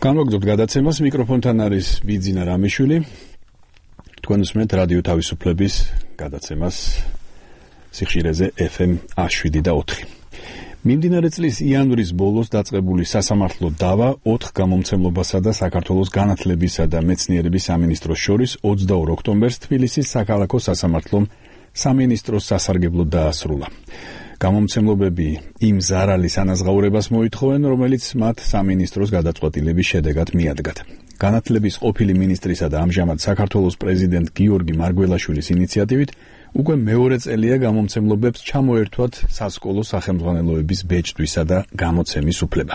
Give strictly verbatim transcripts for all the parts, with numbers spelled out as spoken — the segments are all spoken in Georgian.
განვაგრძობთ გადაცემას, მიკროფონთან არის ბიძინა რამიშვილი. თქვენ უსმენთ რადიო თავისუფლების გადაცემას სიხშირეზე ეფ ემ შვიდ და ოთხი. მიმდინარე წლის იანვრის ბოლოს დაწყებული სასამართლო დავა ოთხ გამომცემლობასა და საქართველოს განათლებისა და მეცნიერების სამინისტროს შორის ოცდაორ ოქტომბერს თბილისის საქალაქო სასამართლომ სამინისტროს სასარგებლოდ დაასრულა. გამომცემლობები იმ ზარალის ანაზღაურებას მოითხოვენ, რომელიც მათ სამინისტროს გადაწყვეტილების შედეგად მიადგათ. განათლების ყოფილი მინისტრისა და ამჟამად საქართველოს პრეზიდენტ გიორგი მარგველაშვილის ინიციატივით უკვე მეორე წელია გამომცემლობებს ჩამოერთვათ სასკოლო სახელმძღვანელოების ბეჭდვისა და გამოცემის უფლება.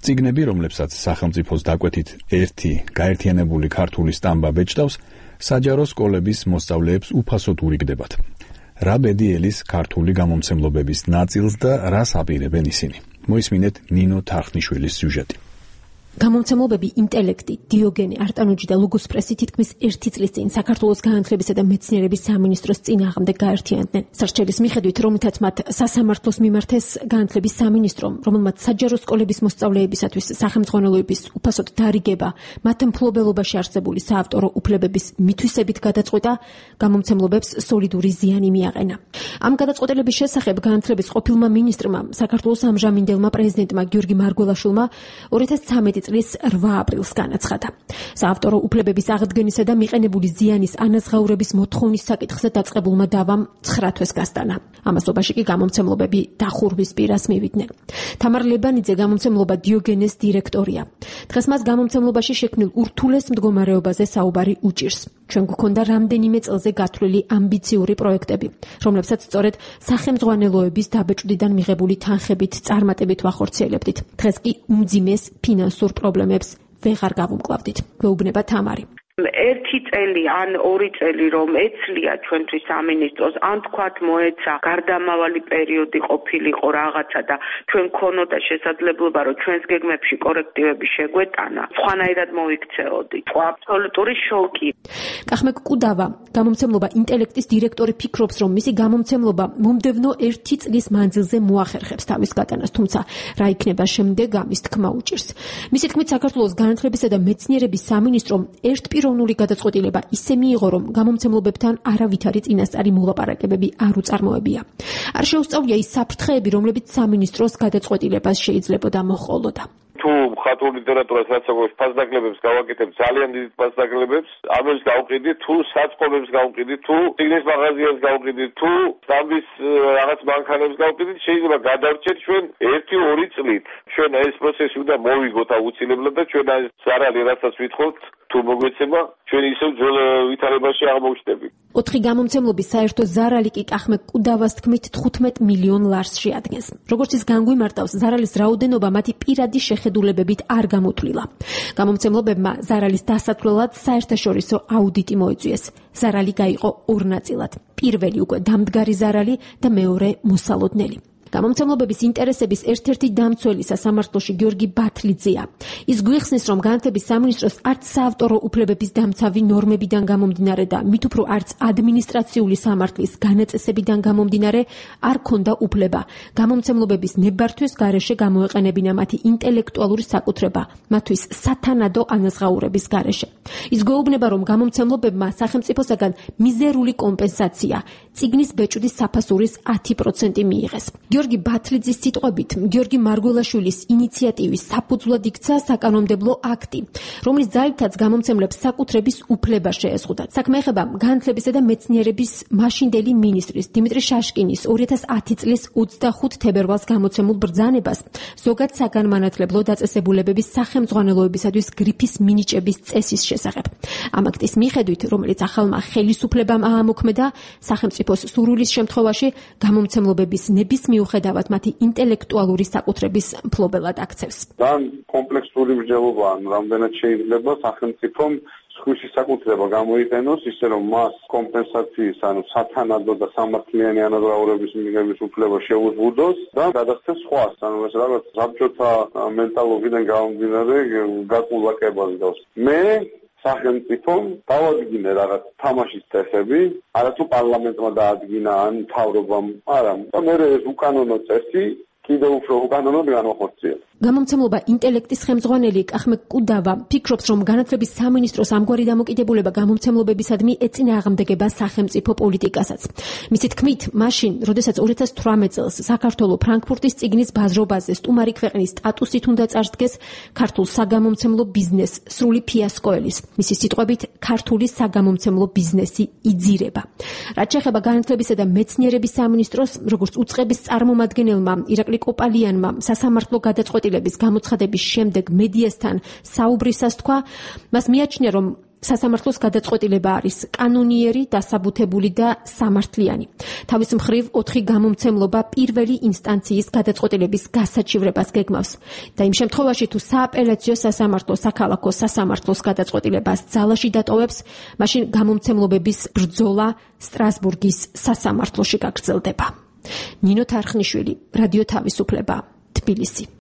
წიგნები, რომლებსაც სახელმწიფოს დაკვეთით ერთი გაერთიანებული ქართული სტამბა ბეჭდავს, საჯარო სკოლების მოსწავლეებს უფასოდ ურიგდებათ. რა ბედიელის ქართული გამომცემლობების ნაწილს და რას აპირებენ ისინი. მოისმინეთ ნინო თარხნიშვილის სიუჟეტი. გამომცემლობები ინტელექტი, დიოგენე, არტანუჯი და ლოგოსპრესი თითქმის ერთი წლის წინ საქართველოს განათლებისა და მეცნიერების სამინისტროს წინააღმდეგ გაერთიანდნენ. სარჩელის მიხედვით, რომლითაც მათ სასამართლოს მიმართეს განათლების სამინისტრომ, რომელმაც საჯარო სკოლების მოსწავლეებისათვის სახელმძღვანელოების უფასოდ დარიგება, მათ მფლობელობაში არსებული საავტორო უფლებების მითვისებით გადაწყვეტა, გამომცემლობებს სოლიდური ზიანი მიაყენა. ამ გადაწყვეტილების შესახებ განათლების ყოფილმა მინისტრმა, საქართველოს ამჟამინდელმა პრეზიდენტმა გიორგი მარგველაშვილმა ორი ათას ცხრამეტი წლის რვა აპრილს განაცხადა. საავტორო უფლებების აღდგენისა და მიყენებული ზიანის ანაზღაურების მოთხოვნის საკითხზე დაწყებულმა დავამ ცხრა თვეს გასტანა. ამასობაში კი გამომცემლობები დახურვის პირას მივიდნენ. თამარ ლებანიძე გამომცემლობა დიოგენეს დირექტორია. დღეს მას გამომცემლობაში შექმნილ ურთულეს მდგომარეობაზე საუბარი უჭირს. ჩვენ გვქონდა რამდენიმე წელზე გათვლილი ამბიციური პროექტები, რომლებსაც სწორედ სახელმძღვანელოების დაბეჭდვიდან მიღებული თანხებით წარმატებით ვახორციელებდით. დღეს კი უმძიმეს ფინანსურ პრობლემებს ვეღარ გავუმკლავდით. გვეუბნება თამარი. ერთი წელი ან ორი წელი რომ ეცლია ჩვენთვის სამინისტროს, ან თქვათ მოეცა გარდამავალი პერიოდი ყოფილიყო რაღაცა და ჩვენ ქონოდა შესაძლებლობა რომ ჩვენს გეგმებში კორექტივები შეგვეტანა, სხვანაირად მოიქცეოდით. ხო, აბსოლუტური შოკი. კახმეკ კუდავა, გამომცემლობა ინტელექტის დირექტორი ფიქრობს, რომ მისი გამომცემლობა მომდევნო ერთი წლის მანძილზე მოახერხებს თავის გატანას, თუმცა რა იქნება შემდეგ, ამის თქმა უჭირს. მისი თქმით, საქართველოს განათლებისა და მეცნიერების სამინისტრომ ერთპიროვნული გადაწყვეტილება ისე მიიღო, რომ გამომცემლობებთან არავითარი წინასწარი მოლაპარაკებები არ უწარმოებია. არ შეუსწავლია ის საფრთხეები, რომლებიც სამინისტროს გადაწყვეტილებას შეიძლებოდა მოჰყოლოდა. თუ მხატვრულ ლიტერატურას რაც აქვს ფასდაკლებებს გავაკეთებ, ძალიან დიდ ფასდაკლებებს, ამებს გავყიდით, თუ საწყობებს გავყიდით, თუ წიგნის მაღაზიას გავყიდით, თუ სტამბის რაღაც მანქანებს გავყიდით, შეიძლება გადავრჩეთ ჩვენ ერთი ორი წლით. ჩვენ ეს პროცესი უნდა მოვიგოთ აუცილებლად და ჩვენ ეს ზარალი რასაც ვითხოვთ, თუ მოგვეცემა, ჩვენ ისევ ძველ ვითარებაში აღმოჩნდებით. ოთხი გამომცემლობის საერთო ზარალი კი კახმეკ კუდავას თქმით თხუთმეტ მილიონ ლარს შეადგენს. როგორც ის განგვიმარტავს, ზარალის რაოდენობა მათი პირადი შეხედულებებით არ გამოთვლილა. გამომცემლობებმა ზარალის დასათვლელად საერთაშორისო აუდიტი მოიწვიეს. ზარალი გაიყო ორ ნაწილად. პირველი უკვე დამდგარი ზარალი და მეორე მოსალოდნელი. გამომცემლობების ინტერესების ერთ-ერთი დამცველი სასამართლოში გიორგი ბათლიძეა. ის გვიხსნის, რომ განათლების სამინისტროს არც საავტორო უფლებების დამცავი ნორმებიდან გამომდინარე და მით უფრო არც ადმინისტრაციული სამართლის განაწესებიდან გამომდინარე არ ქონდა უფლება გამომცემლობების ნებართვის გარეშე გამოეყენებინა მათი ინტელექტუალური საკუთრება, მათთვის სათანადო ანაზღაურების გარეშე. ის გვეუბნება, რომ გამომცემლობებმა სახელმწიფოსაგან მიზერული კომპენსაცია, წიგნის ბეჭდის საფასურის ათი პროცენტი მიიღეს. გიორგი ბათლიძის სიტყვებით, გიორგი მარგველაშვილის ინიციატივის საფუძვლად იქცა საკანონმდებლო აქტი, რომლის ძალითაც გამომცემლებს საკუთრების უფლება შეეზღუდათ. საქმე ეხება განათლებისა და მეცნიერების მაშინდელი მინისტრის დიმიტრი შაშკინის ორი ათას ათი წლის ოცდახუთ თებერვალს გამოცემულ ბრძანებას ზოგად საგანმანათლებლო დაწესებულებების სახელმძღვანელოებისათვის გრიფის მინიჭების წესის შესახებ. ამ აქტის მიხედვით, რომელიც ახალმა ხელისუფლებამ აამოქმედა, სახელმწიფოს სურვილის შემთხვევაში გამომცემლობების ნებისმიერ მიუხედავად მათი ინტელექტუალური საკუთრების მფლობელად აქცევს. თან კომპლექსური მსჯელობა, რამდენად შეიძლება სახელმწიფომ სხვისი საკუთრება გამოიყენოს, ისე რომ მას კომპენსაციის, ანუ სათანადო და სამართლიანი ანაზღაურების მიღების უფლება შეუზღუდოს და გადასცეს სხვას, ანუ ეს რაღაც საბჭოთა მენტალობიდან გამომდინარე გაკულაკებას გავს. მე სახელმწიფომ დავადგინე რაღაც თამაშის წესები, არათუ პარლამენტმა დაადგინა ან მთავრობამ, არა. და მე ეს უკანონო წესი კიდევ უფრო უკანონოდ განვახორციელოთ. გამომცემლობა ინტელექტის ხელმძღვანელი კახმე კუდავა ფიქრობს, რომ განათლების სამინისტროს ამგვარი დამოკიდებულება გამომცემლობებისადმი ეწინააღმდეგება სახელმწიფო პოლიტიკასაც. მისი თქმით, მაშინ, როდესაც ორი ათას თვრამეტ წელს საქართველო ფრანკფურტის წიგნის ბაზრობაზე სტუმარი ქვეყნის სტატუსით უნდა წარსდგეს, ქართულ საგამომცემლო ბიზნეს სრული ფიასკო ელის. მისი სიტყვებით, ქართული საგამომცემლო ბიზნესი იძირება. რაც შეეხება განათლებისა და მეცნიერების სამინისტროს, როგორც უწყების წარმომადგენელმა ირაკლი კოპალიანმა სასამართლო გადაწყვეტილების გამოცხადების შემდეგ მედიასთან საუბრისას თქვა, მას მიაჩნია, რომ სასამართლოს გადაწყვეტილება არის კანონიერი, დასაბუთებული და სამართლიანი. თავის მხრივ ოთხი გამომცემლობა პირველი ინსტანციის გადაწყვეტილების გასაჩივრებას გეგმავს და იმ შემთხვევაში თუ სააპელაციო სასამართლო საქალაქო სასამართლოს გადაწყვეტილებას ძალაში დატოვებს, მაშინ გამომცემლობების ბრძოლა სტრასბურგის სასამართლოში გაგრძელდება. ნინო თარხნიშვილი, რადიო თავისუფლება, თბილისი.